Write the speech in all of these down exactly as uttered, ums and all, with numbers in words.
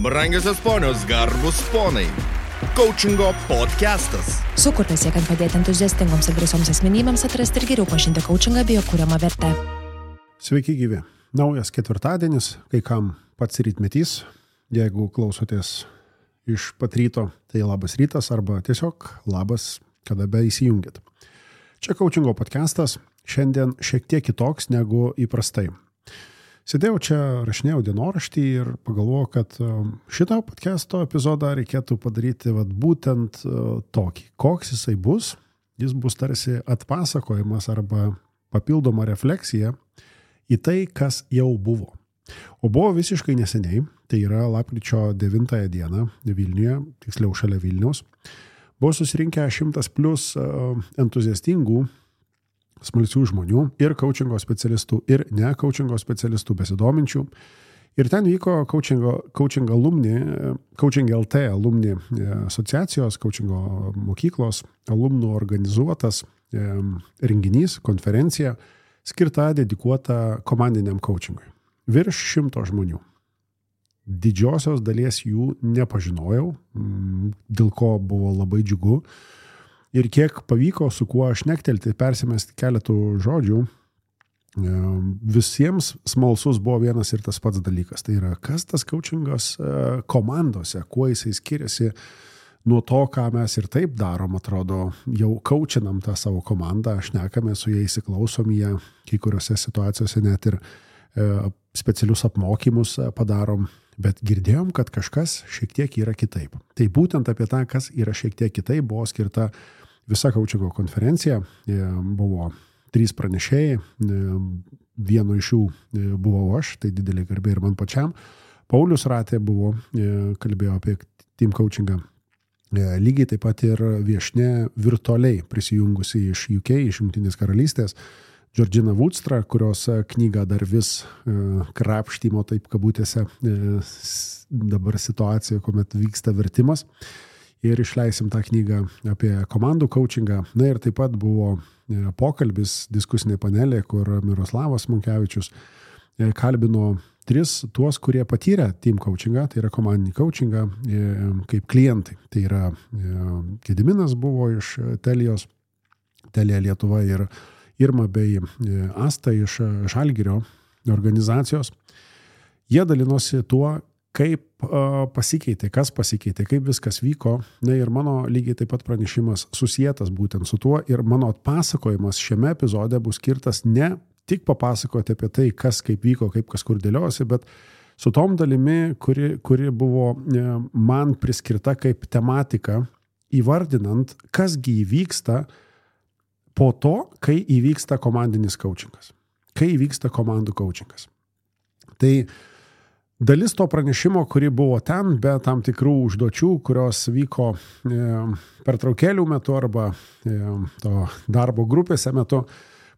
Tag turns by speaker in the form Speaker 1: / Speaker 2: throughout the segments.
Speaker 1: Brangiosios ponios, garbus ponai. Coachingo podcastas.
Speaker 2: Sukurtas siekiant padėti entuziastingoms ir drąsioms asmenybėms atrasti ir geriau pažinti coachingą bei jo kuriamą vertę.
Speaker 3: Sveiki gyvi. Naujas ketvirtadienis, kai kam pats rytmetys. Jeigu klausotės iš pat ryto, tai labas rytas arba tiesiog labas, kada be įsijungit. Čia coachingo podcastas, šiandien šiek tiek kitoks negu įprastai. Sėdėjau čia, rašinėjau dienoraštį ir pagalvojau, kad šitą podcasto epizodą reikėtų padaryti vat, būtent tokį. Koks jisai bus? Jis bus tarsi atpasakojimas arba papildoma refleksija į tai, kas jau buvo. O buvo visiškai neseniai, tai yra lapkričio devintąją dieną Vilniuje, tiksliau šalia Vilniaus, buvo susirinkę šimtas plus entuziastingų smalsių žmonių ir coachingo specialistų ir ne coachingo specialistų besidominčių. Ir ten vyko coachingo, coaching alumni, Coaching L T alumni asociacijos, coachingo mokyklos alumnų organizuotas renginys, konferencija, skirta dedikuota komandiniam coachingui. Virš šimto žmonių. Didžiosios dalies jų nepažinojau, dėl ko buvo labai džiugu. Ir kiek pavyko su kuo šnektelti, persimesti keletų žodžių, visiems smalsus buvo vienas ir tas pats dalykas. Tai yra, kas tas coachingas komandose, kuo jisai skiriasi nuo to, ką mes ir taip darom, atrodo, jau coachinam tą savo komandą, šnekame su jais, įsiklausom jie, kai kuriuose situacijose net ir specialius apmokymus padarom, bet girdėjom, kad kažkas šiek tiek yra kitaip. Tai būtent apie tą, kas yra šiek tiek kitaip, buvo skirta visa coachingo konferencija. Buvo trys pranešėjai, vieno iš jų buvau aš, tai didelė garbė ir man pačiam. Paulius Ratė buvo, kalbėjo apie team coachingą. Lygiai taip pat ir viešne virtualiai prisijungusi iš U K, iš Jungtinės karalystės, Georgina Woodstra, kurios knygą dar vis krapštymo, taip kabutėse, dabar situacija, kuomet vyksta vertimas. Ir išleisim tą knygą apie komandų coachingą. Na ir taip pat buvo pokalbis, diskusinė panelė, kur Miroslavas Munkevičius kalbino tris tuos, kurie patyrė team coachingą, tai yra komandinį coachingą, kaip klientai. Tai yra Gediminas buvo iš Telijos, Telija Lietuva ir Irma bei Asta iš Žalgirio organizacijos. Jie dalinosi tuo, kaip pasikeitė, kas pasikeitė, kaip viskas vyko. Na ir mano lygiai taip pat pranešimas susietas būtent su tuo ir mano atpasakojimas šiame epizode bus skirtas ne tik papasakoti apie tai, kas kaip vyko, kaip kas kur dėliosi, bet su tom dalimi, kuri, kuri buvo man priskirta kaip tematika, įvardinant, kasgi įvyksta po to, kai įvyksta komandinis coachingas, kai įvyksta komandų coachingas. Tai dalis to pranešimo, kuri buvo ten, be tam tikrų užduočių, kurios vyko pertraukėlių metu arba to darbo grupėse metu,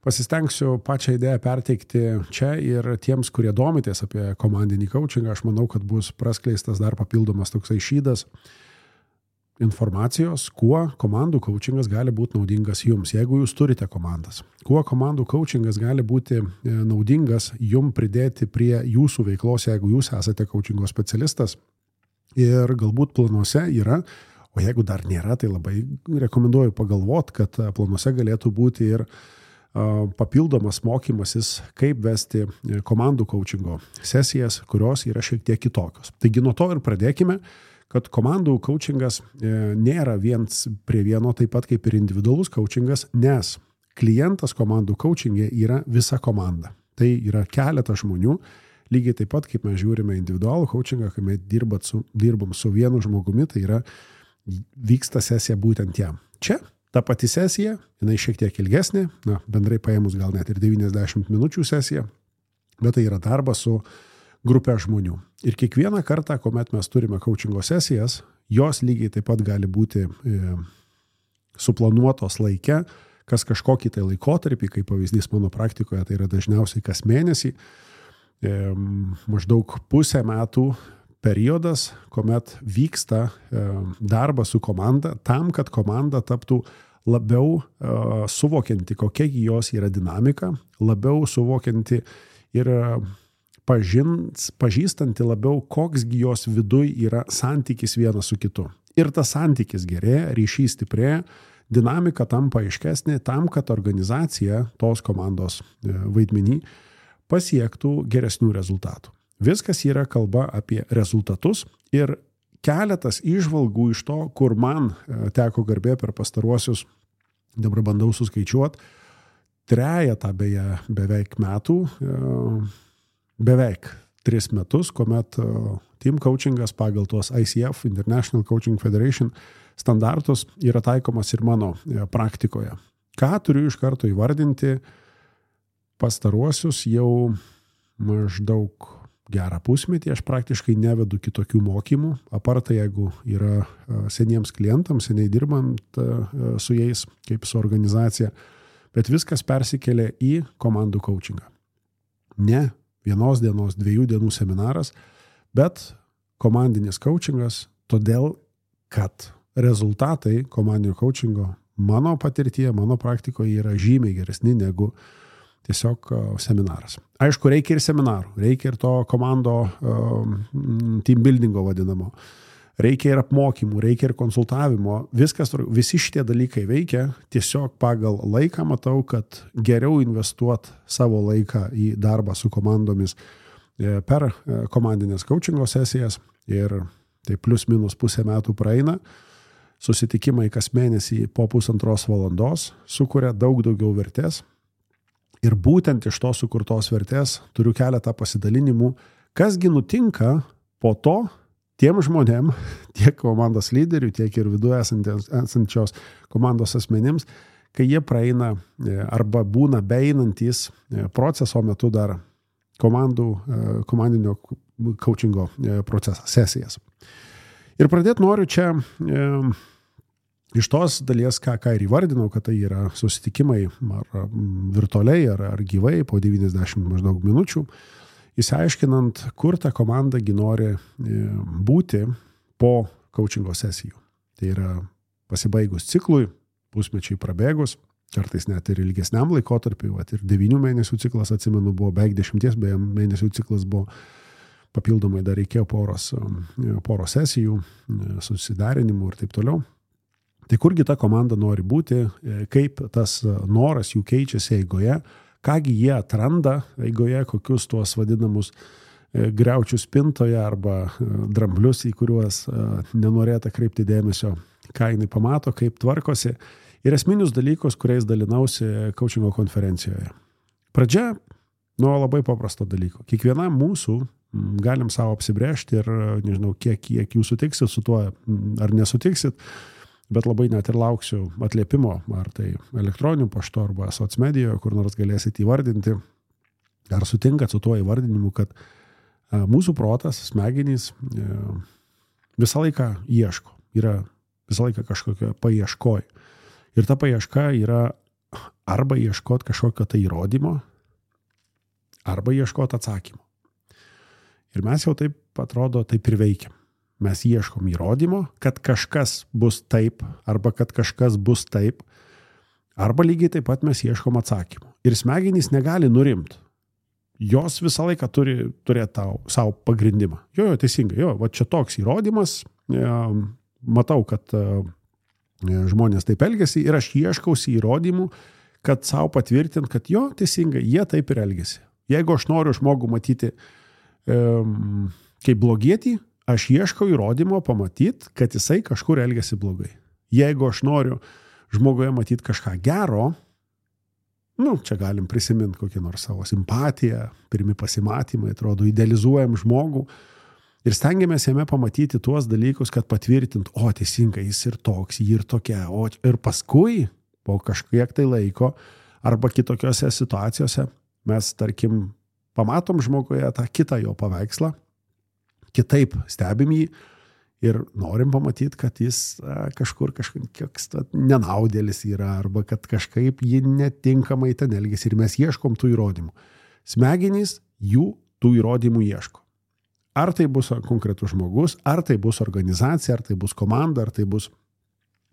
Speaker 3: pasistengsiu pačią idėją perteikti čia ir tiems, kurie domitės apie komandinį coachingą. Aš manau, kad bus praskleistas dar papildomas toksai šydas informacijos, kuo komandų coachingas gali būti naudingas jums, jeigu jūs turite komandas. Kuo komandų coachingas gali būti naudingas jums pridėti prie jūsų veiklos, jeigu jūs esate coachingo specialistas ir galbūt planuose yra, o jeigu dar nėra, tai labai rekomenduoju pagalvoti, kad planuose galėtų būti ir papildomas mokymasis, kaip vesti komandų coachingo sesijas, kurios yra šiek tiek kitokios. Taigi nuo to ir pradėkime, kad komandų coachingas nėra viens prie vieno, taip pat kaip ir individualus coachingas, nes klientas komandų coachingė yra visa komanda. Tai yra keletas žmonių, lygiai taip pat kaip mes žiūrime individualų coachingą, kai mes dirbat su, dirbam su vienu žmogumi, tai yra vyksta sesija būtent jam. Čia ta pati sesija, jinai šiek tiek ilgesnė, na, bendrai paėmus gal net ir devyniasdešimt minučių sesija, bet tai yra darbas su grupė žmonių. Ir kiekvieną kartą, kuomet mes turime coachingo sesijas, jos lygiai taip pat gali būti e, suplanuotos laike, kas kažkokį tai laikotarpį, kaip pavyzdys mano praktikoje, tai yra dažniausiai kas mėnesį, e, maždaug pusę metų periodas, kuomet vyksta e, darbas su komanda, tam, kad komanda taptų labiau e, suvokianti, kokia jos yra dinamika, labiau suvokianti ir pažins, pažįstanti labiau, koksgi jos viduj yra santykis vienas su kitu. Ir tas santykis gerėja, ryšys stiprėja, dinamika tampa aiškesnė tam, kad organizacija tos komandos vaidmenį pasiektų geresnių rezultatų. Viskas yra kalba apie rezultatus ir keletas įžvalgų iš to, kur man teko garbė per pastaruosius, dabar bandau suskaičiuoti, trejetą beje beveik metų, beveik tris metus, kuomet team coachingas pagal tuos I C F, International Coaching Federation, standartus yra taikomas ir mano praktikoje. Ką turiu iš karto įvardinti pastaruosius jau maždaug gerą pusmetį, aš praktiškai nevedu kitokių mokymų, aparta jeigu yra seniems klientams, seniai dirbant su jais, kaip su organizacija, bet viskas persikelia į komandų coachingą. Ne vienos dienos, dviejų dienų seminaras, bet komandinis coachingas, todėl, kad rezultatai komandinio coachingo mano patirtyje, mano praktikoje yra žymiai geresni negu tiesiog seminaras. Aišku, reikia ir seminarų, reikia ir to komando um, team buildingo vadinamo, reikia ir apmokymų, reikia ir konsultavimo, viskas, visi šitie dalykai veikia, tiesiog pagal laiką matau, kad geriau investuoti savo laiką į darbą su komandomis per komandinės coachingo sesijas ir tai plus minus pusę metų praeina, susitikimai kas mėnesį po pusantros valandos sukuria daug daugiau vertės. Ir būtent iš to sukurtos vertės turiu keletą pasidalinimų, kasgi nutinka po to tiem žmonėm, tiek komandos lyderių, tiek ir viduje esančios komandos asmenims, kai jie praeina arba būna beeinantys proceso metu dar komandų, komandinio coachingo procesą, sesijas. Ir pradėti noriu čia iš tos dalies, ką, ką ir įvardinau, kad tai yra susitikimai ar virtualiai, ar, ar gyvai po devyniasdešimt maždaug minučių, įsiaiškinant, kur ta komandagi nori būti po coachingo sesijų. Tai yra pasibaigus ciklui, pusmečiai prabėgus, kartais net ir ilgesniam laikotarpiui, ir devynių mėnesių ciklas, atsimenu, buvo beveik dešimties beje mėnesių ciklas buvo, papildomai dar reikėjo poros, poros sesijų, susidarinimų ir taip toliau. Tai kurgi ta komanda nori būti, kaip tas noras jų keičiasi eigoje, kągi jie atranda eigoje, kokius tuos vadinamus griaučius spintoje arba dramblius, į kuriuos nenorėta kreipti dėmesio, ką jinai pamato, kaip tvarkosi ir esminius dalykus, kuriais dalinausi coachingo konferencijoje. Pradžia nuo labai paprasto dalyko. Kiekvienam mūsų galim savo apsibrėžti ir nežinau, kiek, kiek jūs sutiksit su tuo ar nesutiksit, bet labai net ir lauksiu atliepimo, ar tai elektroniniu paštu arba socmedijoje, kur nors galėsit įvardinti, ar sutinkat su tuo įvardinimu, kad mūsų protas, smegenys visą laiką ieško, yra visą laiką kažkokia paieškoj. Ir ta paieška yra arba ieškoti kažkokio tai įrodymo, arba ieškoti atsakymo. Ir mes jau taip, atrodo, taip ir veikiam. Mes ieškom įrodymo, kad kažkas bus taip, arba kad kažkas bus taip, arba lygiai taip pat mes ieškom atsakymų. Ir smegenys negali nurimti. Jos visą laiką turi turėti tau, savo pagrindimą. Jo, jo, teisingai, jo, va čia toks įrodymas, matau, kad žmonės taip elgiasi ir aš ieškausi įrodymų, kad savo patvirtint, kad jo, teisingai, jie taip ir elgiasi. Jeigu aš noriu žmogų matyti um, kaip blogietį, aš ieškau įrodymo pamatyti, kad jisai kažkur elgiasi blogai. Jeigu aš noriu žmoguje matyti kažką gero, nu, čia galim prisiminti kokį nors savo simpatiją, pirmi pasimatymai, atrodo, idealizuojam žmogų ir stengiamės jame pamatyti tuos dalykus, kad patvirtint, o teisingai, jis ir toks, jį ir tokia, o ir paskui, po kažkiek tai laiko, arba kitokiose situacijose, mes, tarkim, pamatom žmoguje tą kitą jo paveikslą, kitaip stebim jį ir norim pamatyti, kad jis a, kažkur kažkoks nenaudėlis yra arba kad kažkaip jį netinkamai ten elgiasi ir mes ieškom tų įrodymų. Smegenys jų tų įrodymų ieško. Ar tai bus konkretus žmogus, ar tai bus organizacija, ar tai bus komanda, ar tai bus,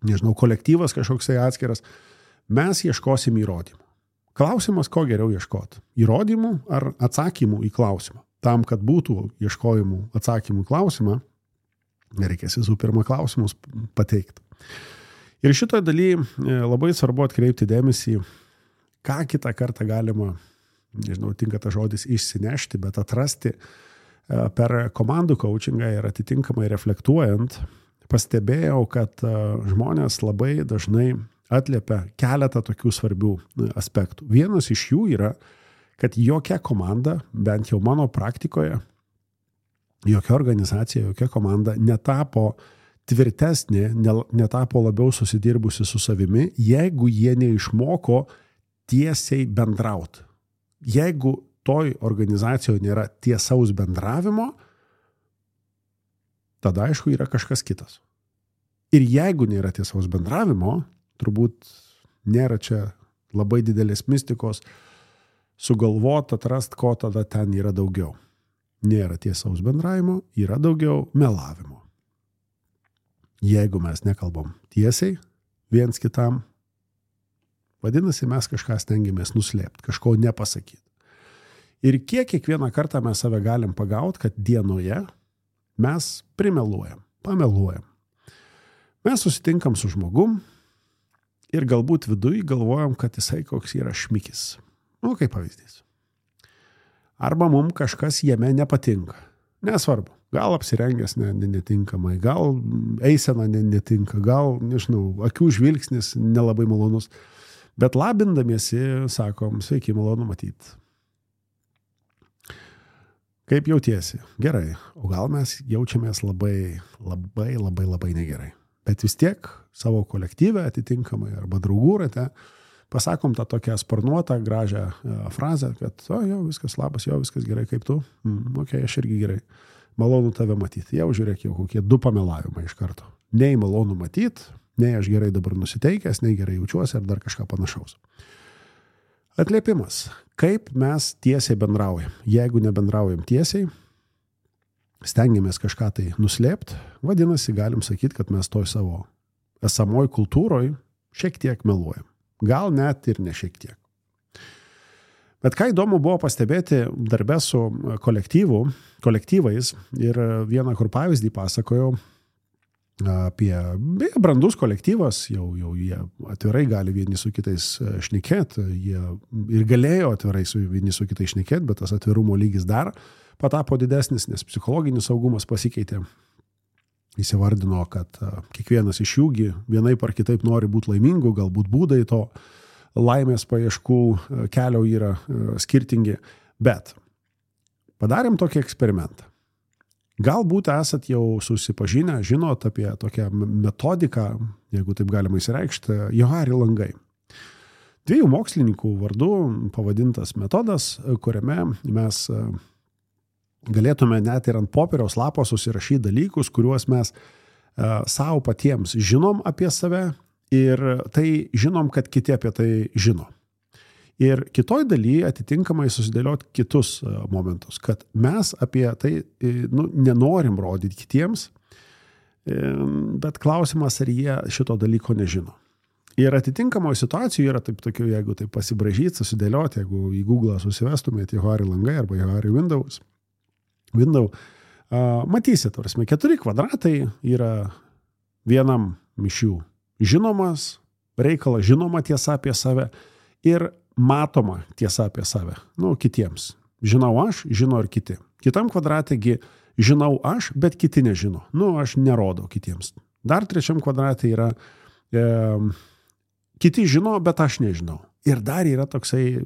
Speaker 3: nežinau, kolektyvas kažkoksai atskiras, mes ieškosim įrodymų. Klausimas, ko geriau ieškoti? Įrodymų ar atsakymų į klausimą? tam, kad būtų ieškojimų atsakymų klausimą, reikės visų pirma klausimus pateikti. Ir šitoje dalyje labai svarbu atkreipti dėmesį, ką kitą kartą galima, nežinau, tinka tas žodis išsinešti, bet atrasti per komandų coachingą ir atitinkamai reflektuojant, pastebėjau, kad žmonės labai dažnai atliepia keletą tokių svarbių aspektų. Vienas iš jų yra, kad jokia komanda, bent jau mano praktikoje, jokia organizacija, jokia komanda netapo tvirtesnė, netapo labiau susidirbusi su savimi, jeigu jie neišmoko tiesiai bendrauti. Jeigu toj organizacijoje nėra tiesaus bendravimo, tada aišku yra kažkas kitas. Ir jeigu nėra tiesaus bendravimo, turbūt nėra čia labai didelės mistikos sugalvot, atrast, ko tada ten yra daugiau. Nėra tiesaus bendravimo, yra daugiau melavimo. Jeigu mes nekalbam tiesiai viens kitam, vadinasi, mes kažką stengiamės nuslėpti, kažko nepasakyti. Ir kiek kiekvieną kartą mes save galim pagauti, kad dienoje mes primeluojam, pameluojam. Mes susitinkam su žmogum ir galbūt viduj galvojam, kad jisai koks yra šmikis. Nu, kaip pavyzdys. Arba mums kažkas jame nepatinka. Nesvarbu. Gal apsirengęs netinkamai, gal eisena netinka, gal, nežinau, akių žvilgsnis nelabai malonus. Bet labindamiesi, sakom, sveiki, malonu matyti. Kaip jautiesi? Gerai. O gal mes jaučiamės labai, labai, labai, labai negerai. Bet vis tiek savo kolektyvę atitinkamai arba draugų rate pasakom tą tokią sparnuotą, gražią frazę, kad o, jo, viskas labas, jo, viskas gerai, kaip tu? Mm, ok, aš irgi gerai. Malonu tave matyti. Jau žiūrėk, jau kokie du pamelavimai iš karto. Nei malonu matyti, nei aš gerai dabar nusiteikęs, nei gerai jaučiuosi ar dar kažką panašaus. Atliepimas. Kaip mes tiesiai bendraujam? Jeigu nebendraujam tiesiai, stengiamės kažką tai nuslėpti, vadinasi, galim sakyti, kad mes toj savo esamoj kultūroj šiek tiek meluojam. Gal net ir ne šiek tiek. Bet ką įdomu buvo pastebėti darbe su kolektyvu, kolektyvais ir vieną kur pavyzdį pasakojau apie brandus kolektyvas, jau, jau jie atvirai gali vieni su kitais šnekėti, jie ir galėjo atvirai su vieni su kitais šnekėti, bet tas atvirumo lygis dar patapo didesnis, nes psichologinis saugumas pasikeitė. Įsivardino, kad kiekvienas iš jųgi vienaip ar kitaip nori būti laimingų, galbūt būdai to laimės paieškų kelio yra skirtingi, bet padarėm tokį eksperimentą. Galbūt esat jau susipažinę, žinot apie tokią metodiką, jeigu taip galima įsireikšti, Johari langai. Dviejų mokslininkų vardu pavadintas metodas, kuriame mes galėtume net ir ant popieriaus lapo susirašyti dalykus, kuriuos mes uh, savo patiems žinom apie save ir tai žinom, kad kiti apie tai žino. Ir kitoj dalyje atitinkamai susidėlioti kitus uh, momentus, kad mes apie tai nu, nenorim rodyti kitiems, bet klausimas, ar jie šito dalyko nežino. Ir atitinkamoje situacijoje yra taip tokių, jeigu taip pasibražyti, susidėlioti, jeigu į Google susivestumėte Johari langai arba Johari Windows, Window, uh, matysit, prasme, keturi kvadratai yra vienam iš jų žinomas, reikalas žinoma tiesa apie save ir matoma tiesa apie save, nu, kitiems. Žinau aš, žino ir kiti. Kitam kvadratėgi žinau aš, bet kiti nežino. Nu, aš nerodau kitiems. Dar trečiam kvadratė yra e, kiti žino, bet aš nežinau. Ir dar yra toksai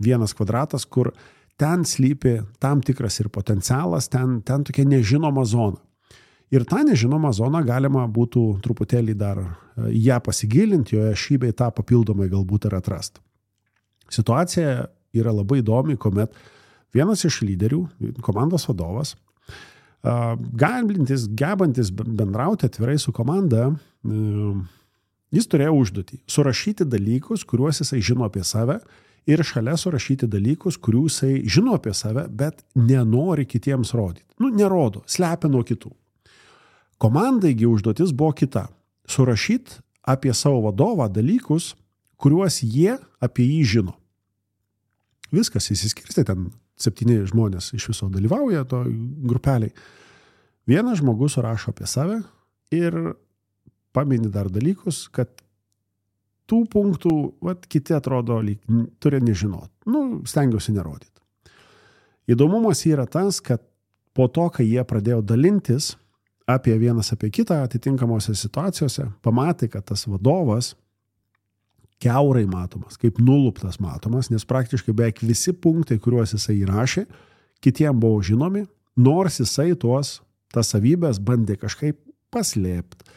Speaker 3: vienas kvadratas, kur ten slypi tam tikras ir potencialas, ten, ten tokia nežinoma zona. Ir tą nežinomą zoną galima būtų truputėlį dar ją pasigilinti, joje šį bei tą papildomai galbūt ir atrasti. Situacija yra labai įdomi, kuomet vienas iš lyderių, komandos vadovas, galintis, gebantis bendrauti atvirai su komanda, jis turėjo užduotį surašyti dalykus, kuriuos jisai žino apie save, ir šalia surašyti dalykus, kurių jisai žino apie save, bet nenori kitiems rodyti. Nu, nerodo, slepia nuo kitų. Komandaigi užduotis buvo kita. Surašyti apie savo vadovą dalykus, kuriuos jie apie jį žino. Viskas įsiskirstė ten septyni žmonės iš viso dalyvauja to grupeliai. Vienas žmogus rašo apie save ir pamini dar dalykus, kad tų punktų, vat, kiti atrodo, lyg turi nežinot. Nu, stengiausi nerodyti. Įdomumas yra tas, kad po to, kai jie pradėjo dalintis apie vienas apie kitą atitinkamose situacijose, pamatė, kad tas vadovas kiaurai matomas, kaip nuluptas matomas, nes praktiškai beveik visi punktai, kuriuos jisai įrašė, kitiem buvo žinomi, nors jisai tuos, tas savybės bandė kažkaip paslėpti,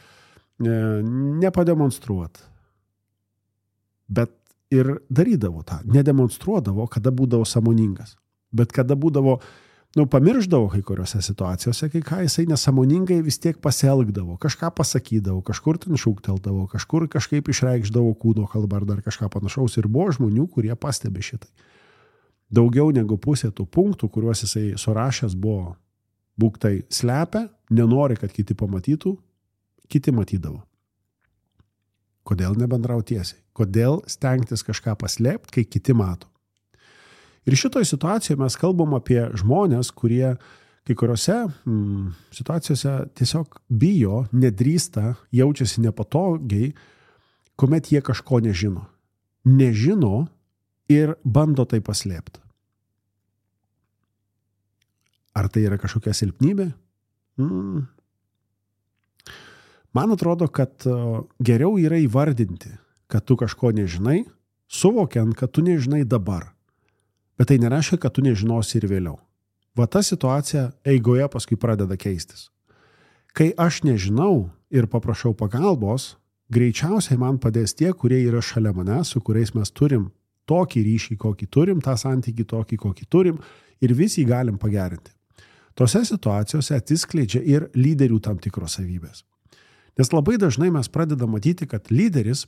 Speaker 3: nepademonstruoti. Bet ir darydavo tą, nedemonstruodavo, kada būdavo sąmoningas. Bet kada būdavo, nu, pamirždavo kai kuriuose situacijose, kai ką jisai nesąmoningai vis tiek pasielgdavo, kažką pasakydavo, kažkur ten šūkteldavo, kažkur kažkaip išreikšdavo kūno kalbą ar dar kažką panašaus. Ir buvo žmonių, kurie pastebi šitai. Daugiau negu pusė tų punktų, kuriuos jisai surašęs buvo, būk tai slepia, nenori, kad kiti pamatytų, kiti matydavo. Kodėl nebendrau tiesiai? Kodėl stengtis kažką paslėpti, kai kiti mato? Ir šitoje situacijoje mes kalbam apie žmonės, kurie kai kuriuose mm, situacijose tiesiog bijo, nedrįsta, jaučiasi nepatogiai, kuomet jie kažko nežino. Nežino ir bando tai paslėpti. Ar tai yra kažkokia silpnybė? Mm. Man atrodo, kad geriau yra įvardinti, kad tu kažko nežinai, suvokiant, kad tu nežinai dabar. Bet tai nereiškia, kad tu nežinosi ir vėliau. Va ta situacija eigoje paskui pradeda keistis. Kai aš nežinau ir paprašau pagalbos, greičiausiai man padės tie, kurie yra šalia mane, su kuriais mes turim tokį ryšį, kokį turim, tą santykį tokį, kokį turim, ir visi galim pagerinti. Tose situacijose atsiskleidžia ir lyderių tam tikros savybės. Nes labai dažnai mes pradedam matyti, kad lyderis,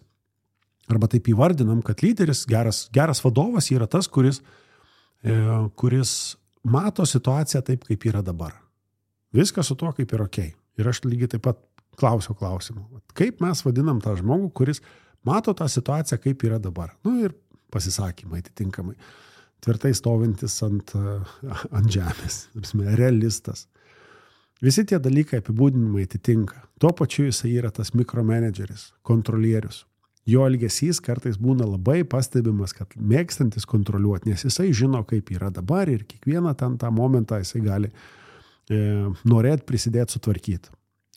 Speaker 3: arba taip įvardinam, kad lyderis, geras, geras vadovas yra tas, kuris, e, kuris mato situaciją taip, kaip yra dabar. Viskas su tuo kaip yra okei. Ir aš lygiai taip pat klausiu klausimų. Kaip mes vadinam tą žmogų, kuris mato tą situaciją, kaip yra dabar? Nu ir pasisakymai atitinkamai. Tvirtai stovintis ant, ant žemės. Realistas. Visi tie dalykai apibūdinimai atitinka. Tuo pačiu jisai yra tas mikromanageris, kontrolierius. Jo elgesys kartais būna labai pastebimas, kad mėgstantis kontroliuoti, nes jisai žino, kaip yra dabar ir kiekvieną ten tą momentą jisai gali e, norėti prisidėti sutvarkyti.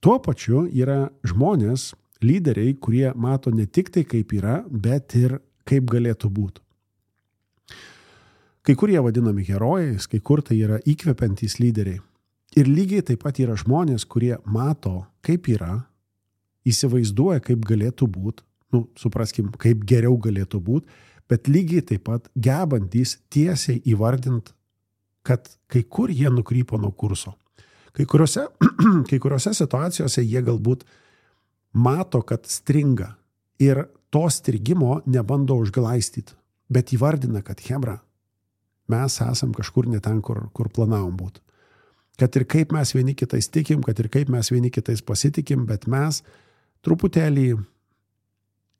Speaker 3: Tuo pačiu yra žmonės, lyderiai, kurie mato ne tik tai, kaip yra, bet ir kaip galėtų būti. Kai kurie vadinami herojais, kai kur tai yra įkvepiantys lyderiai. Ir lygiai taip pat yra žmonės, kurie mato, kaip yra, įsivaizduoja, kaip galėtų būti, nu, supraskim, kaip geriau galėtų būti, bet lygiai taip pat gebantys tiesiai įvardinti, kad kai kur jie nukrypo nuo kurso. Kai kuriuose, kai kuriuose situacijose jie galbūt mato, kad stringa ir to strigimo nebando užglaistyti, bet įvardina, kad chebra, mes esam kažkur ne ten, kur, kur planavom būti. Kad ir kaip mes vieni kitais tikim, kad ir kaip mes vieni kitais pasitikim, bet mes truputėlį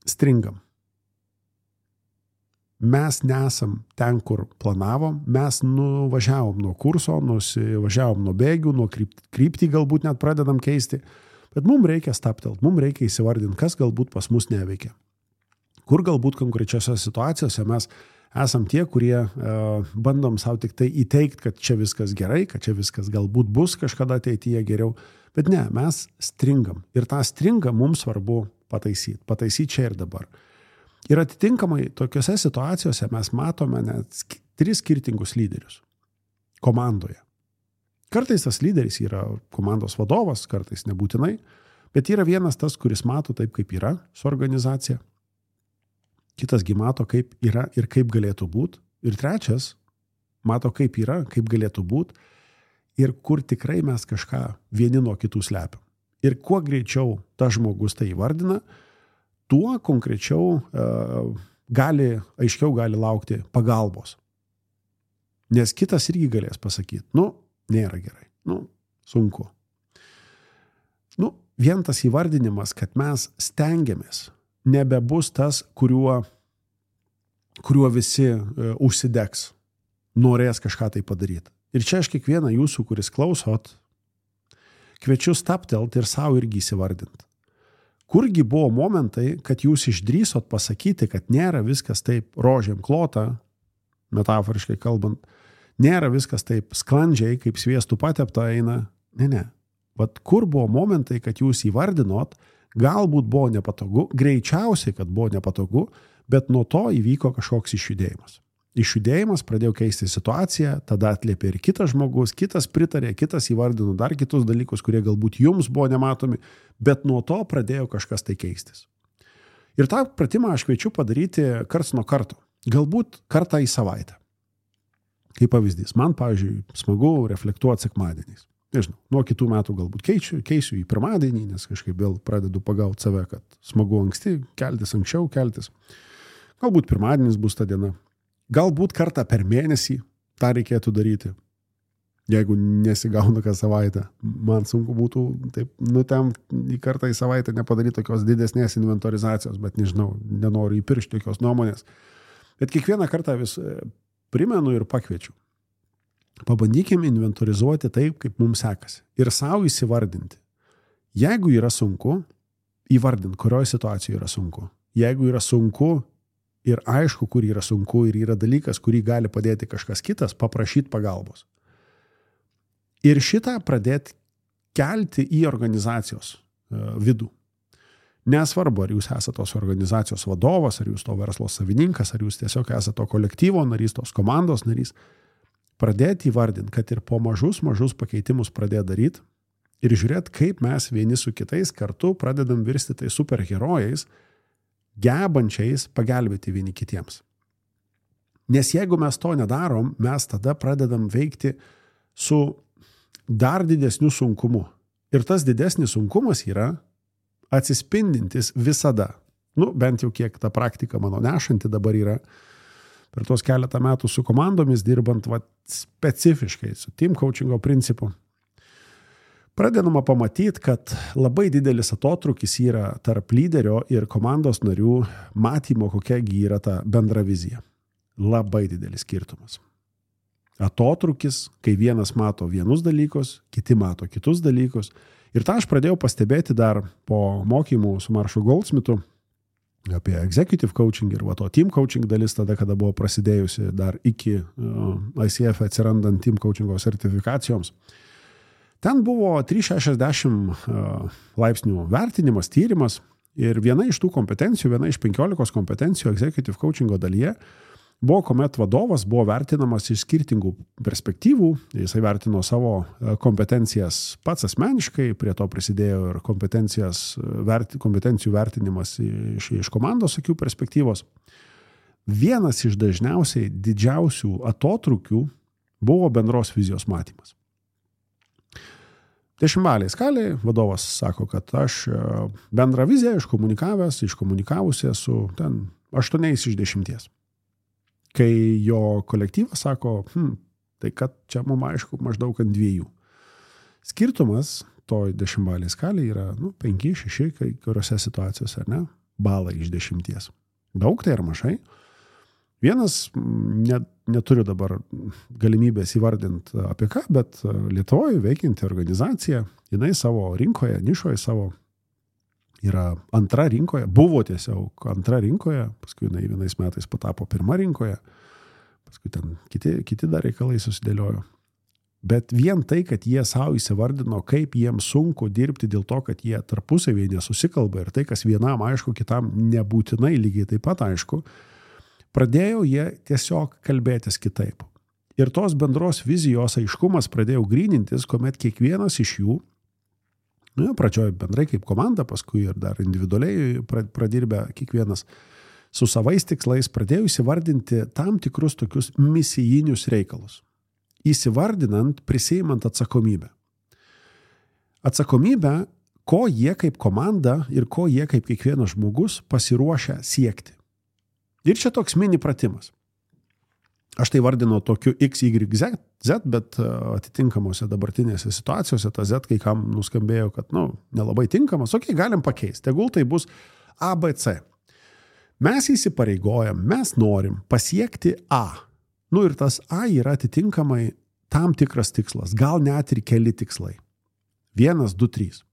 Speaker 3: stringam. Mes nesam ten, kur planavom, mes nuvažiavom nuo kurso, nusivažiavom nuo bėgių, nuo kryptį galbūt net pradedam keisti, bet mums reikia staptelt, mums reikia įsivardinti, kas galbūt pas mus neveikia. Kur galbūt konkrečiose situacijose mes esam tie, kurie uh, bandom savo tik tai įteikti, kad čia viskas gerai, kad čia viskas galbūt bus kažkada ateityje geriau, bet ne, mes stringam. Ir tą stringą mums svarbu pataisyti, pataisyti čia ir dabar. Ir atitinkamai tokiose situacijose mes matome net tris skirtingus lyderius komandoje. Kartais tas lyderis yra komandos vadovas, kartais nebūtinai, bet yra vienas tas, kuris mato taip, kaip yra su organizacija. Kitasgi mato, kaip yra ir kaip galėtų būti. Ir trečias mato, kaip yra, kaip galėtų būti ir kur tikrai mes kažką vieni nuo kitų slepiam. Ir kuo greičiau tas žmogus tai įvardina, tuo konkrečiau uh, gali, aiškiau gali laukti pagalbos. Nes kitas irgi galės pasakyti, nu, nėra gerai, nu, sunku. Nu, vien tas įvardinimas, kad mes stengiamės, nebebus tas, kuriuo, kuriuo visi uh, užsidegs. norės kažką tai padaryti. Ir čia aš kiekvieną jūsų, kuris klausot, kviečiu staptelt ir savo irgi įsivardinti. Kurgi buvo momentai, kad jūs išdrįsot pasakyti, kad nėra viskas taip rožėm klota, metaforiškai kalbant, nėra viskas taip sklandžiai, kaip sviestų patepta eina. Ne, ne. Vat kur buvo momentai, kad jūs įvardinot, galbūt buvo nepatogu, greičiausiai, kad buvo nepatogu, bet nuo to įvyko kažkoks išjudėjimas. Išjudėjimas, pradėjau keisti situaciją, tada atliepė ir kitas žmogus, kitas pritarė, kitas įvardino dar kitus dalykus, kurie galbūt jums buvo nematomi, bet nuo to pradėjo kažkas tai keistis. Ir tą pratimą aš kviečiu padaryti karts nuo karto, galbūt kartą į savaitę. Kaip pavyzdys, man, pavyzdžiui, smagu reflektuoti sekmadieniais. Nežinau, nuo kitų metų galbūt keičiu, keisiu į pirmadienį, nes kažkaip vėl pradedu pagauti save, kad smagu anksti, keltis anksčiau, keltis. Galbūt pirmadienis bus ta diena. Galbūt kartą per mėnesį tą reikėtų daryti. Jeigu nesigauna kas savaitę, man sunku būtų taip, nu, ten į kartą į savaitę nepadaryti tokios didesnės inventorizacijos, bet nežinau, nenoriu įpiršti tokios nuomonės. Bet kiekvieną kartą vis primenu ir pakviečiu. Pabandykim inventorizuoti taip, kaip mums sekasi. Ir savo įsivardinti. Jeigu yra sunku, įvardint, kurioje situacijoje yra sunku. Jeigu yra sunku, ir aišku, kur yra sunku ir yra dalykas, kurį gali padėti kažkas kitas, paprašyti pagalbos. Ir šitą pradėti kelti į organizacijos vidų. Nesvarbu, ar jūs esate tos organizacijos vadovas, ar jūs to verslo savininkas, ar jūs tiesiog esate to kolektyvo narys, tos komandos narys. Pradėti įvardinti, kad ir po mažus, mažus pakeitimus pradėti daryti ir žiūrėti, kaip mes vieni su kitais kartu pradedam virsti tai superherojais, gebančiais pagelbėti vieni kitiems. Nes jeigu mes to nedarom, mes tada pradedam veikti su dar didesniu sunkumu. Ir tas didesnis sunkumas yra atsispindintis visada. Nu, bent jau kiek ta praktika mano nešanti dabar yra. Per tos keletą metų su komandomis dirbant va, specifiškai su team coachingo principu. Pradedama pamatyti, kad labai didelis atotrūkis yra tarp lyderio ir komandos narių matymo, kokiagi yra ta bendra vizija. Labai didelis skirtumas. Atotrūkis, kai vienas mato vienus dalykus, kiti mato kitus dalykus. Ir tą aš pradėjau pastebėti dar po mokymų su Maršu Goldsmithu apie executive coaching ir va to team coaching dalis tada, kada buvo prasidėjusi dar iki uh, I C F atsirandant team coachingo sertifikacijoms. Ten buvo trys šimtai šešiasdešimt laipsnių vertinimas, tyrimas ir viena iš tų kompetencijų, viena iš penkiolikos kompetencijų executive coachingo dalyje buvo, kuomet vadovas buvo vertinamas iš skirtingų perspektyvų. Jisai vertino savo kompetencijas pats asmeniškai, prie to prisidėjo ir kompetencijų vertinimas iš, iš komandos akių perspektyvos. Vienas iš dažniausiai didžiausių atotrūkių buvo bendros vizijos matymas. Dešimtbalėj skalėj vadovas sako, kad aš bendrą viziją iškomunikavęs, iškomunikavusi esu ten aštuoniais iš dešimties. Kai jo kolektyvas sako, hm, tai kad čia mums aišku maždaug ant dviejų. Skirtumas toj dešimtbalėj skalėj yra nu, penki, šeši, kai kuriuose situacijose, ar ne? Balai iš dešimties. Daug tai ar mažai? Vienas, net, neturiu dabar galimybės įvardinti apie ką, bet Lietuvoje veikianti organizacija, jinai savo rinkoje, nišoje savo yra antra rinkoje, buvo tiesiog antra rinkoje, paskui jinai vienais metais patapo pirma rinkoje, paskui ten kiti, kiti dar reikalai susidėliojo. Bet vien tai, kad jie savo įsivardino, kaip jiems sunku dirbti dėl to, kad jie tarpusavėje nesusikalba ir tai, kas vienam aišku, kitam nebūtinai lygiai taip pat aišku, pradėjo jie tiesiog kalbėtis kitaip. Ir tos bendros vizijos aiškumas pradėjo grynintis, kuomet kiekvienas iš jų, nu, pradžioje bendrai kaip komanda, paskui ir dar individualiai pradirbę kiekvienas su savais tikslais, pradėjo įsivardinti tam tikrus tokius misijinius reikalus. Įsivardinant, prisiimant atsakomybę. Atsakomybę, ko jie kaip komanda ir ko jie kaip kiekvienas žmogus pasiruošę siekti. Ir čia toks mini pratimas. Aš tai vardinu tokiu X, Y, Z, Z, bet atitinkamose dabartinėse situacijose ta Z kai kam nuskambėjo, kad nu, nelabai tinkamas, okei, galim pakeisti. Tegul tai bus A, B, C. Mes įsipareigojam, mes norim pasiekti A. Nu ir tas A yra atitinkamai tam tikras tikslas, gal net ir keli tikslai. Vienas, du, trys.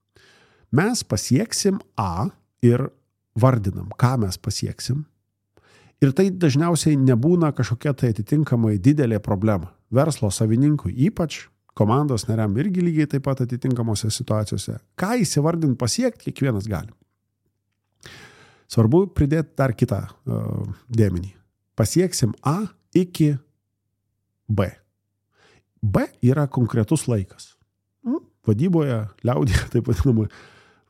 Speaker 3: Mes pasieksim A ir vardinam, ką mes pasieksim. Ir tai dažniausiai nebūna kažkokia tai atitinkamai didelė problema. Verslo savininkui ypač, komandos nariam irgi lygiai taip pat atitinkamose situacijose. Ką įsivardint pasiekti, kiekvienas gali. Svarbu pridėti dar kitą uh, dėmenį. Pasieksim A iki B. B yra konkretus laikas. Nu, vadyboje, liaudyje, taip vadinama,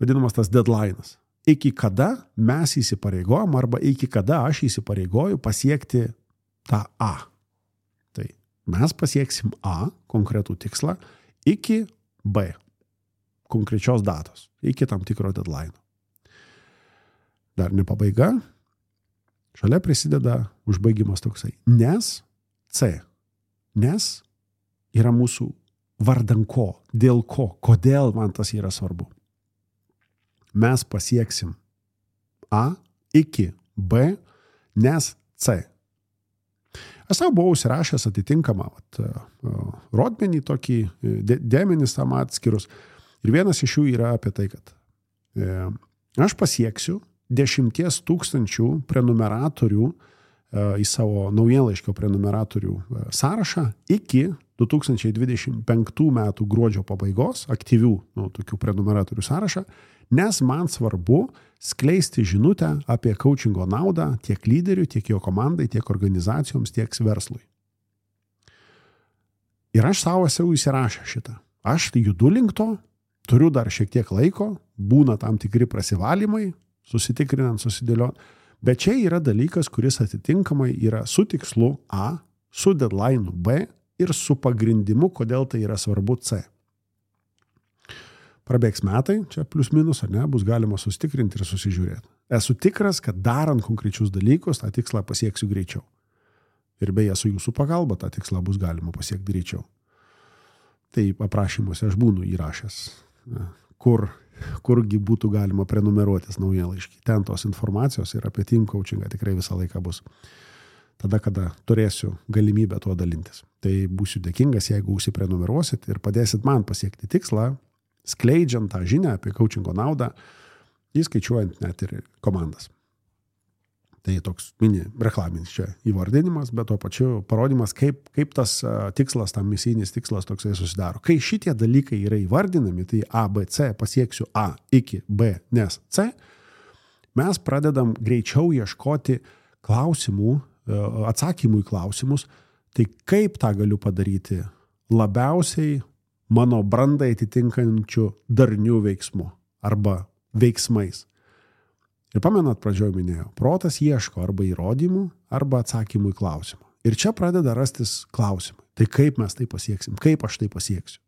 Speaker 3: vadinamas tas deadline'as. Iki kada mes įsipareigojam arba iki kada aš įsipareigoju pasiekti tą A. Tai mes pasieksim A, konkretų tikslą, iki B, konkrečios datos, iki tam tikro deadline. Dar ne pabaiga, šalia prisideda užbaigimas toksai. Nes C, nes yra mūsų vardan ko, dėl ko, kodėl man tas yra svarbu. Mes pasieksim A iki B, nes C. Aš savo buvau užsirašęs atitinkamą vat, rodmenį, tokį dėmenis tam atskirus. Ir vienas iš jų yra apie tai, kad e, aš pasieksiu dešimties tūkstančių prenumeratorių e, į savo naujienlaiškio prenumeratorių e, sąrašą iki du tūkstančiai dvidešimt penktų metų gruodžio pabaigos, aktyvių nu, tokių prenumeratorių sąrašą, nes man svarbu skleisti žinutę apie coachingo naudą tiek lyderiui, tiek jo komandai, tiek organizacijoms, tiek verslui. Ir aš savo esu įsirašę šitą. Aš judu link to, turiu dar šiek tiek laiko, būna tam tikri prasivalymai, susitikrinant, susidėliot, bet čia yra dalykas, kuris atitinkamai yra su tikslu A, su deadline'u B ir su pagrindimu, kodėl tai yra svarbu C. Prabėgs metai, čia plius minus, ar ne, bus galima sustikrinti ir susižiūrėti. Esu tikras, kad darant konkrečius dalykus, tą tikslą pasieksiu greičiau. Ir beje, su jūsų pagalba tą tikslą bus galima pasiekti greičiau. Tai aprašymuose aš būnu įrašęs, kur, kurgi būtų galima prenumeruotis naujienlaiškį. Ten tos informacijos ir apie team coachingą tikrai visą laiką bus. Tada, kada turėsiu galimybę tuo dalintis. Tai būsiu dėkingas, jeigu užsiprenumeruosit ir padėsit man pasiekti tikslą, skleidžiant tą žinią apie coachingo naudą, įskaičiuojant net ir komandas. Tai toks mini reklaminis čia įvardinimas, bet tuo pačiu parodimas, kaip, kaip tas uh, tikslas, tam misijinis tikslas toksai susidaro. Kai šitie dalykai yra įvardinami, tai A, B, C, pasieksiu A iki B, nes C, mes pradedam greičiau ieškoti klausimų, uh, atsakymų į klausimus, tai kaip tą galiu padaryti labiausiai mano brandai atitinkančių darnių veiksmų arba veiksmais. Ir pamenat, pradžioje minėjau, protas ieško arba įrodymų, arba atsakymų į klausimą. Ir čia pradeda rastis klausimai. Tai kaip mes tai pasieksim, kaip aš tai pasieksiu.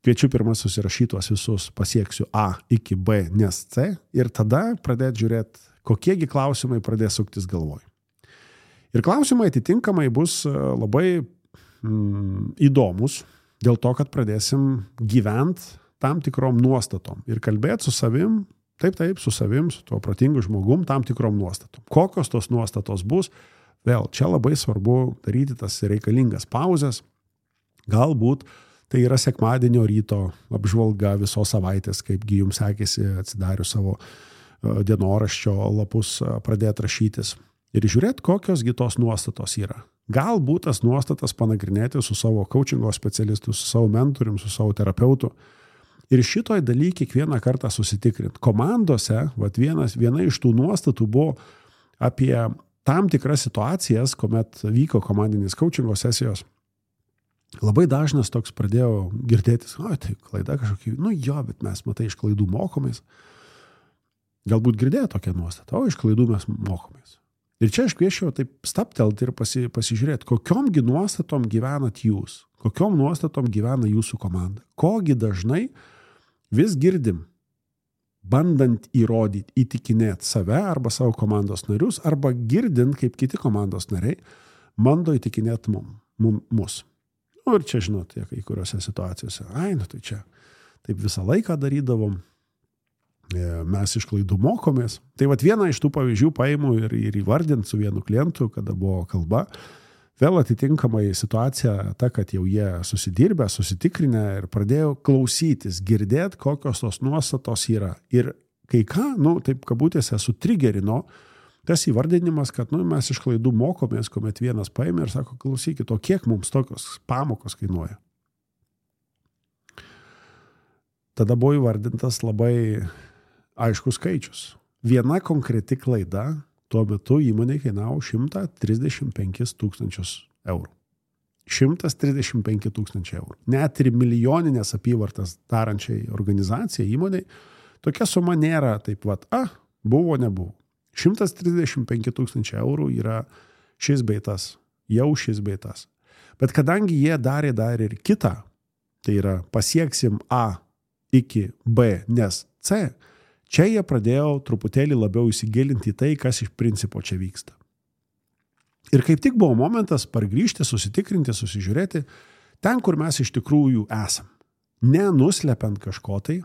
Speaker 3: Kviečiu pirmą susirašytos visus pasieksiu A iki B, nes C, ir tada pradėti žiūrėti, kokiegi klausimai pradės suktis galvoj. Ir klausimai atitinkamai bus labai mm, įdomus, dėl to, kad pradėsim gyvent tam tikrom nuostatom ir kalbėti su savim, taip, taip, su savim, su tuo protingu žmogum, tam tikrom nuostatom. Kokios tos nuostatos bus, vėl, čia labai svarbu daryti tas reikalingas pauzes. Galbūt tai yra sekmadienio ryto apžvalga visos savaitės, kaipgi jums sekėsi atsidarius savo dienoraščio lapus pradėti rašytis. Ir žiūrėti, kokios gi tos nuostatos yra. Galbūt tas nuostatas panagrinėti su savo coachingo specialistu, su savo mentorium, su savo terapeutu. Ir šitoj daly kiekvieną kartą susitikrinti. Komandose, vat vienas, viena iš tų nuostatų buvo apie tam tikras situacijas, kuomet vyko komandinės coachingo sesijos. Labai dažnas toks pradėjo girdėtis, o tai klaida kažkokia, nu jo, bet mes matai iš klaidų mokomės. Galbūt girdėjo tokią nuostatą, o iš klaidų mes mokomės. Ir čia aš kviečiau taip staptelti ir pasi, pasižiūrėti, kokiom gi nuostatom gyvenat jūs, kokiom nuostatom gyvena jūsų komanda. Kogi dažnai vis girdim, bandant įrodyti, įtikinėti save arba savo komandos narius, arba girdint, kaip kiti komandos nariai bando įtikinėti mum, mum, mus. Nu, ir čia, žinot, kai kuriuose situacijose, ai, nu tai čia taip visą laiką darydavom, mes iš klaidų mokomės. Tai vat vieną iš tų pavyzdžių paimu ir, ir įvardint su vienu klientu, kada buvo kalba, Vėl atitinkamai situacija ta, kad jau jie susidirbę, susitikrinę ir pradėjo klausytis, girdėti, kokios tos nuostatos yra. Ir kai ką, nu, taip kabutėse, sutrigerino tas įvardinimas, kad nu, mes iš klaidų mokomės, kuomet vienas paėmė ir sako, klausykit, o kiek mums tokios pamokos kainuoja? Tada buvo įvardintas labai aiškus skaičius. Viena konkreti klaida tuo metu įmonė kainavo šimtą trisdešimt penkis tūkstančius eurų. šimtas trisdešimt penki tūkstančiai eurų. Net ir milijoninės apyvartas darančiai organizacijai, įmonei, tokia suma nėra taip vat, a, buvo, nebuvo. šimtas trisdešimt penki tūkstančiai eurų yra šis beitas, jau šis beitas. Bet kadangi jie darė dar ir kitą, tai yra pasieksim A iki B, nes C, čia jie pradėjo truputėlį labiau įsigilinti į tai, kas iš principo čia vyksta. Ir kaip tik buvo momentas pargrįžti, susitikrinti, susižiūrėti ten, kur mes iš tikrųjų esam. Nenuslepiant kažko tai,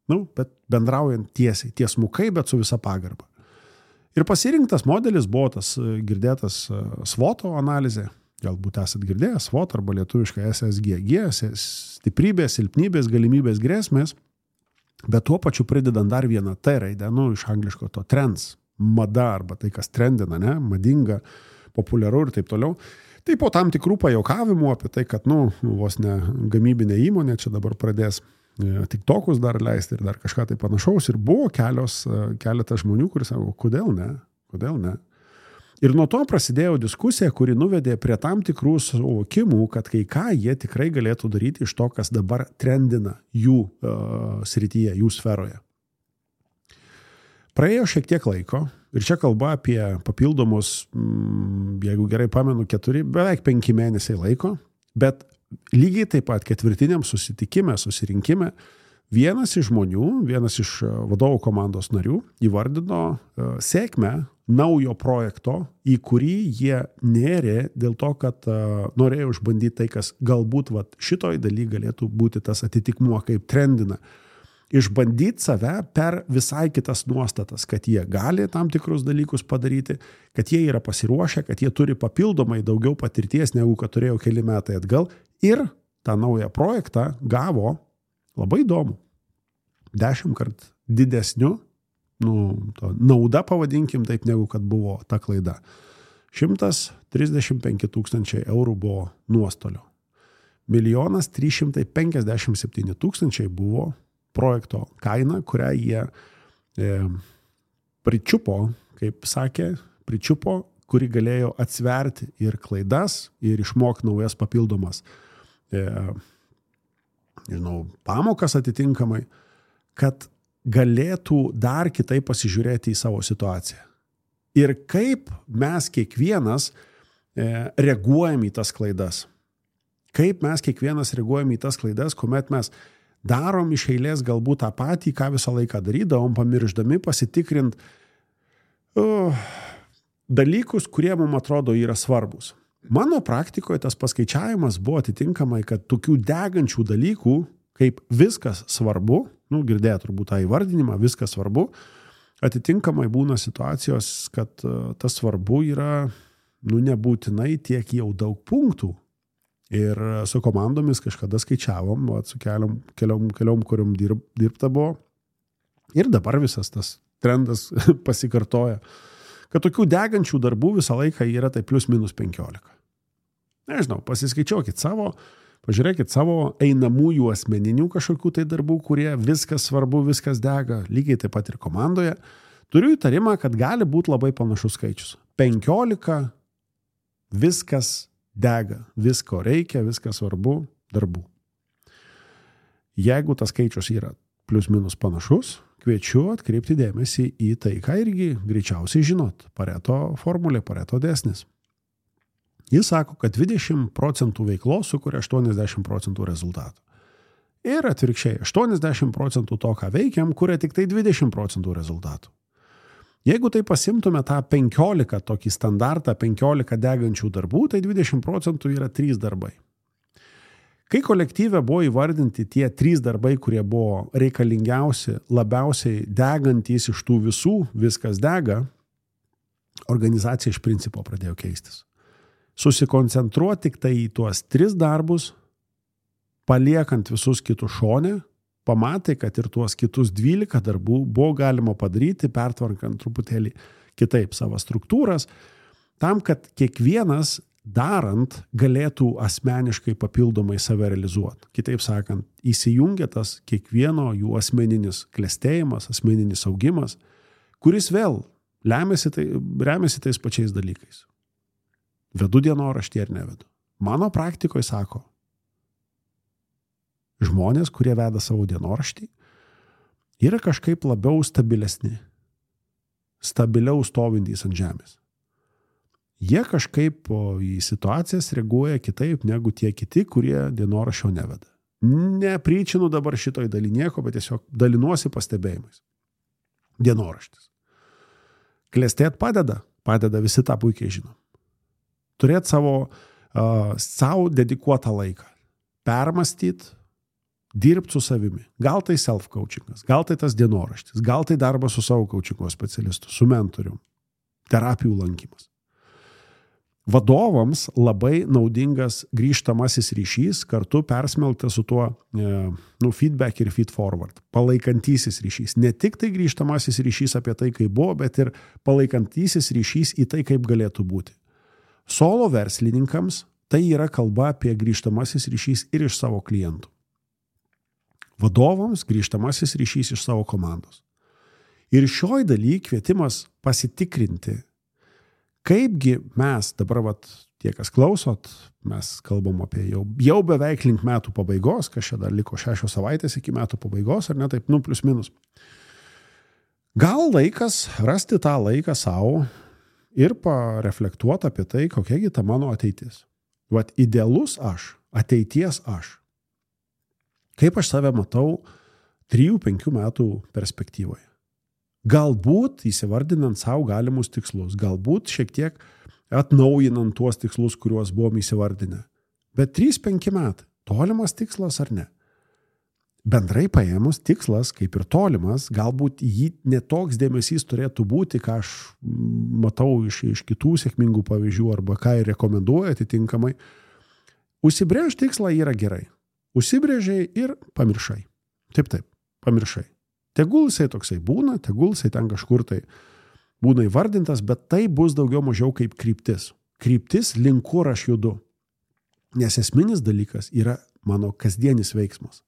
Speaker 3: nu, bet bendraujant tiesiai, tiesmukai, bet su visa pagarba. Ir pasirinktas modelis buvo tas girdėtas svoto analizė. Galbūt esat girdėję svot arba lietuviškai S S G G, stiprybės, silpnybės, galimybės, grėsmės. Bet tuo pačiu pridedant dar vieną T raidę, nu, iš angliško to trends, mada arba tai, kas trendina, ne, madinga, populiaru ir taip toliau. Tai po tam tikrų pajuokavimų apie tai, kad, nu, vos ne gamybinė įmonė čia dabar pradės tiktokus dar leisti ir dar kažką tai panašaus. Ir buvo kelios, keletas žmonių, kuris sako, kodėl ne, kodėl ne. Ir nuo to prasidėjo diskusija, kuri nuvedė prie tam tikrų suvokimų, kad kai ką jie tikrai galėtų daryti iš to, kas dabar trendina jų uh, srityje, jų sferoje. Praėjo šiek tiek laiko ir čia kalba apie papildomus, mm, jeigu gerai pamenu, keturi, beveik penki mėnesiai laiko, bet lygiai taip pat ketvirtiniam susitikime, susirinkime, vienas iš žmonių, vienas iš vadovų komandos narių įvardino uh, sėkmę naujo projekto, į kurį jie nėrė dėl to, kad uh, norėjo išbandyti tai, kas galbūt vat, šitoj daly galėtų būti tas atitikmuo, kaip trendina. Išbandyti save per visai kitas nuostatas, kad jie gali tam tikrus dalykus padaryti, kad jie yra pasiruošę, kad jie turi papildomai daugiau patirties, negu kad turėjo keli metai atgal. Ir tą naują projektą gavo labai įdomu. Dešimt kart didesniu, nu, to nauda pavadinkim taip, negu kad buvo ta klaida. šimtas trisdešimt penki tūkstančiai eurų buvo nuostolio. Milijonas trys šimtai penkiasdešimt septyni tūkstančiai buvo projekto kaina, kurią jie e, pričiupo, kaip sakė, pričiupo, kuri galėjo atsverti ir klaidas, ir išmokti naujas papildomas e, nežinau, pamokas atitinkamai, kad galėtų dar kitaip pasižiūrėti į savo situaciją. Ir kaip mes kiekvienas e, reaguojam į tas klaidas. Kaip mes kiekvienas reaguojam į tas klaidas, kuomet mes darom iš eilės galbūt tą patį, ką visą laiką darydavom, pamirždami pasitikrinti uh, dalykus, kurie mums atrodo yra svarbus. Mano praktikoje tas paskaičiavimas buvo atitinkamai, kad tokių degančių dalykų, kaip viskas svarbu, nu, girdėję turbūt tą įvardinimą, viskas svarbu, atitinkamai būna situacijos, kad uh, tas svarbu yra, nu, nebūtinai tiek jau daug punktų. Ir su komandomis kažkada skaičiavom, va, su keliom, keliom, keliom kuriom dirb, dirbta buvo. Ir dabar visas tas trendas pasikartoja, kad tokių degančių darbų visą laiką yra tai plus minus penkiolika. Nežinau, pasiskaičiuokit savo, pažiūrėkit savo einamųjų asmeninių kažkokių tai darbų, kurie viskas svarbu, viskas dega, lygiai taip pat ir komandoje. Turiu įtarimą, kad gali būti labai panašus skaičius. penkiolika viskas dega, visko reikia, viskas svarbu, darbų. Jeigu tas skaičius yra plus minus panašus, kviečiu atkreipti dėmesį į tai, ką irgi greičiausiai žinot. Pareto formulė, Pareto dėsnis. Jis sako, kad dvidešimt procentų veiklos sukuria aštuoniasdešimt procentų rezultatų. Ir atvirkščiai, aštuoniasdešimt procentų to, ką veikiam, kuria tik tai dvidešimt procentų rezultatų. Jeigu tai pasimtume tą penkiolika, tokį standartą, penkiolika degančių darbų, tai dvidešimt procentų yra trys darbai. Kai kolektyve buvo įvardinti tie trys darbai, kurie buvo reikalingiausi, labiausiai degantys iš tų visų, viskas dega, organizacija iš principo pradėjo keistis. susikoncentruoti tik tai į tuos tris darbus, paliekant visus kitus šone, pamatai, kad ir tuos kitus dvylika darbų buvo galima padaryti, pertvarkant truputėlį kitaip savo struktūras, tam, kad kiekvienas darant galėtų asmeniškai papildomai save realizuoti. Kitaip sakant, įsijungia tas kiekvieno jų asmeninis klestėjimas, asmeninis augimas, kuris vėl remiasi, tai, remiasi tais pačiais dalykais. Vedu dienoraštį ar nevedu. Mano praktikoje sako, žmonės, kurie veda savo dienoraštį, yra kažkaip labiau stabilesni, stabiliau stovintys ant žemės. Jie kažkaip į situacijas reaguoja kitaip negu tie kiti, kurie dienoraščio neveda. Nepryčinu dabar šitoj daly nieko, bet tiesiog dalinuosi pastebėjimais. Dienoraštis. Klestėt padeda, padeda, visi tą puikiai žinom. Turėti savo, uh, savo dedikuotą laiką. Permastyti, dirbti su savimi. Gal tai self-coachingas, gal tai tas dienoraštis, gal tai darbas su savo coachingo specialistu, su mentorium, terapijų lankymas. Vadovams labai naudingas grįžtamasis ryšys, kartu persmelktas su tuo e, nu, feedback ir feed forward, palaikantysis ryšys. Ne tik tai grįžtamasis ryšys apie tai, kaip buvo, bet ir palaikantysis ryšys į tai, kaip galėtų būti. Solo verslininkams tai yra kalba apie grįžtamasis ryšys ir iš savo klientų. Vadovams grįžtamasis ryšys iš savo komandos. Ir šioj daly kvietimas pasitikrinti, kaipgi mes dabar, vat, tie, kas klausot, mes kalbam apie jau, jau beveik link metų pabaigos, kas čia dar liko šešios savaitės iki metų pabaigos, ar ne taip, nu, plius minus. Gal laikas rasti tą laiką savo ir pareflektuoti apie tai, kokiagi ta mano ateitis. Vat idealus aš, ateities aš. Kaip aš save matau trijų penkių metų perspektyvoje. Galbūt įsivardinant savo galimus tikslus, galbūt šiek tiek atnaujinant tuos tikslus, kuriuos buvom įsivardinę. Bet trys penki metai, tolimas tikslas ar ne? Bendrai paėmus tikslas, kaip ir tolimas, galbūt jį netoks dėmesys turėtų būti, ką aš matau iš, iš kitų sėkmingų pavyzdžių arba ką ir rekomenduoju atitinkamai. Užsibrėž tikslą yra gerai. Užsibrėžiai ir pamiršai. Taip, taip, pamiršai. Tegul jisai toksai būna, tegul jisai ten kažkur tai būna įvardintas, bet tai bus daugiau mažiau kaip kryptis. Kryptis link kur aš judu. Nes esminis dalykas yra mano kasdienis veiksmas.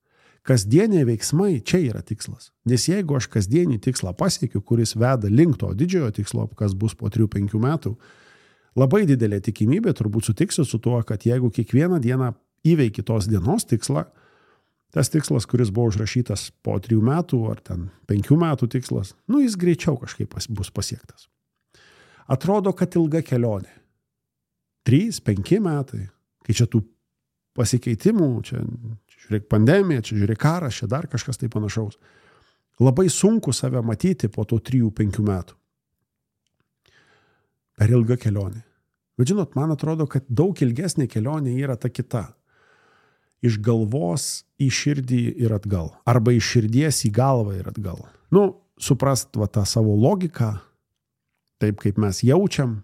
Speaker 3: Kasdieniai veiksmai čia yra tikslas. Nes jeigu aš kasdienį tikslą pasiekiu, kuris veda link to didžiojo tikslo, kas bus po trijų penkių metų, labai didelė tikimybė, turbūt sutiksiu su tuo, kad jeigu kiekvieną dieną įveiki tos dienos tikslą, tas tikslas, kuris buvo užrašytas po trijų metų ar ten penkių metų tikslas, nu jis greičiau kažkaip bus pasiektas. Atrodo, kad ilga kelionė. Trys, penki metai, kai čia tų pasikeitimų, čia, čia žiūrėk pandemija, čia žiūrėk karas, čia dar kažkas tai panašaus. Labai sunku save matyti po to trijų penkių metų. Per ilga kelionė. Bet žinot, man atrodo, kad daug ilgesnė kelionė yra ta kita. Iš galvos į širdį ir atgal. Arba iš širdies į galvą ir atgal. Nu, suprast va tą savo logiką, taip kaip mes jaučiam,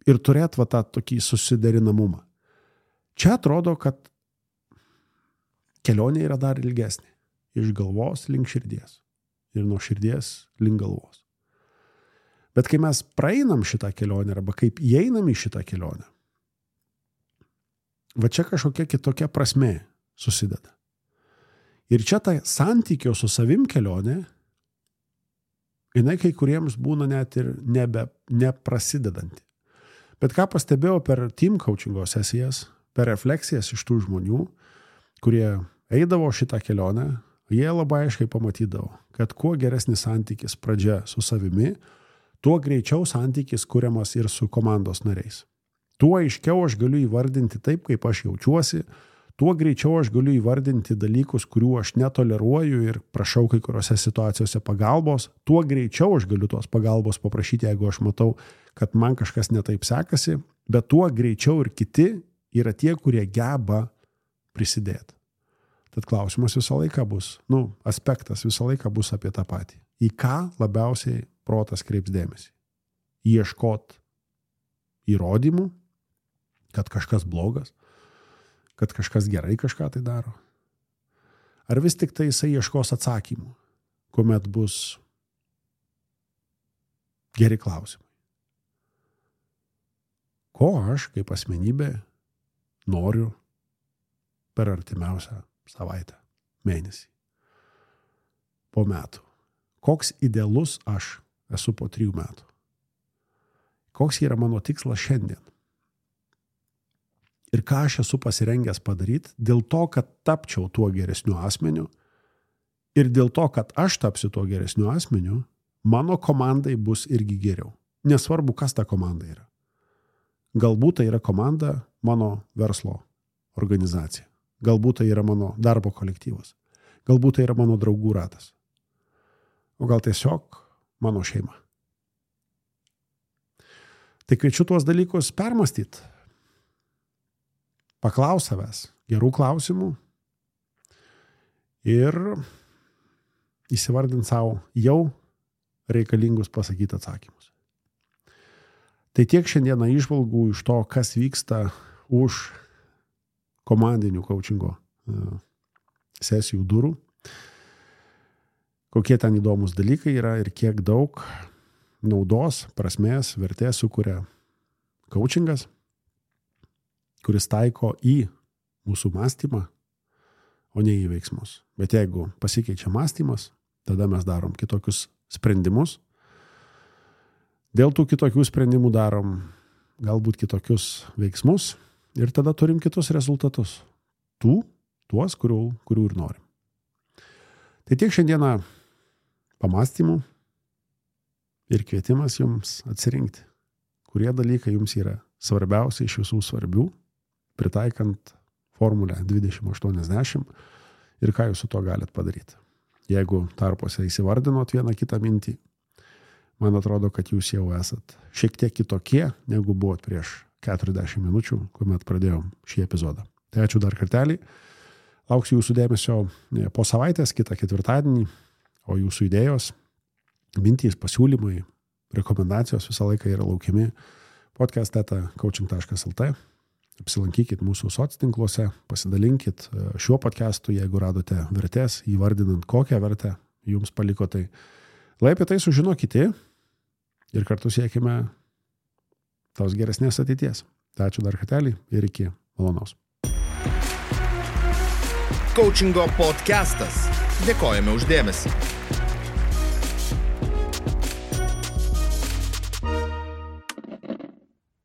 Speaker 3: ir turėt va tą tokį susiderinamumą. Čia atrodo, kad kelionė yra dar ilgesnė. Iš galvos link širdies. Ir nuo širdies link galvos. Bet kai mes praeinam šitą kelionę, arba kaip įeinam į šitą kelionę, va čia kažkokia kitokia prasmė susideda. Ir čia ta santykio su savim kelionė, jinai kai kuriems būna net ir nebe, neprasidedanti. Bet ką pastebėjau per team coachingo sesijas, per refleksijas iš tų žmonių, kurie eidavo šitą kelionę, jie labai aiškiai pamatydavo, kad kuo geresnis santykis pradžia su savimi, tuo greičiau santykis kuriamas ir su komandos nariais. Tuo aiškiau aš galiu įvardinti taip, kaip aš jaučiuosi, tuo greičiau aš galiu įvardinti dalykus, kurių aš netoleruoju ir prašau kai kuriuose situacijose pagalbos, tuo greičiau aš galiu tos pagalbos paprašyti, jeigu aš matau, kad man kažkas netaip sekasi, bet tuo greičiau ir kiti yra tie, kurie geba prisidėti. Tad klausimas visą laiką bus, nu, aspektas visą laiką bus apie tą patį. Į ką labiausiai protas kreips dėmesį? Ieškot įrodymų, kad kažkas blogas, kad kažkas gerai kažką tai daro. Ar vis tik tai jisai ieškos atsakymų, kuomet bus geri klausimai. Ko aš kaip asmenybė noriu per artimiausią savaitę, mėnesį, po metų. Koks idealus aš esu po trijų metų. Koks yra mano tikslas šiandien. Ir ką aš esu pasirengęs padaryti dėl to, kad tapčiau tuo geresniu asmeniu ir dėl to, kad aš tapsiu tuo geresniu asmeniu, mano komandai bus irgi geriau. Nesvarbu, kas ta komanda yra. Galbūt tai yra komanda mano verslo organizacija. Galbūt tai yra mano darbo kolektyvas. Galbūt tai yra mano draugų ratas. O gal tiesiog mano šeima. Tai kviečiu tuos dalykus permastyti. Paklaus savęs gerų klausimų ir įsivardint savo jau reikalingus pasakyti atsakymus. Tai tiek šiandieną įžvalgų iš to, kas vyksta už komandinių coachingo sesijų durų. Kokie ten įdomus dalykai yra ir kiek daug naudos, prasmės, vertės sukuria coachingas, kuris taiko į mūsų mąstymą, o ne į veiksmus. Bet jeigu pasikeičia mąstymas, tada mes darom kitokius sprendimus. Dėl tų kitokių sprendimų darom galbūt kitokius veiksmus ir tada turim kitus rezultatus. Tų, tuos, kurių, kurių ir norim. Tai tiek šiandieną pamąstymų ir kvietimas jums atsirinkti, kurie dalykai jums yra svarbiausia iš visų svarbių, pritaikant formulę dvidešimt aštuoniasdešimt ir ką jūs su to galit padaryti. Jeigu tarpuose įsivardinot vieną kitą mintį, man atrodo, kad jūs jau esat šiek tiek kitokie, negu buvot prieš keturiasdešimt minučių, kuomet pradėjom šį epizodą. Tai ačiū dar kartelį. Lauksiu jūsų dėmesio po savaitės, kitą ketvirtadienį, o jūsų idėjos, mintys, pasiūlymai, rekomendacijos visą laiką yra laukiami podcast eta coaching taškas lt. Apsilankykit mūsų soctinkluose, pasidalinkit šiuo podcastu, jeigu radote vertės, įvardinant kokią vertę jums paliko tai. Lai apie tai sužino kiti ir kartu siekime tos geresnės ateities. Tai ačiū dar kartelį ir iki malonaus.
Speaker 1: Coachingo podcastas. Dėkojame už dėmesį.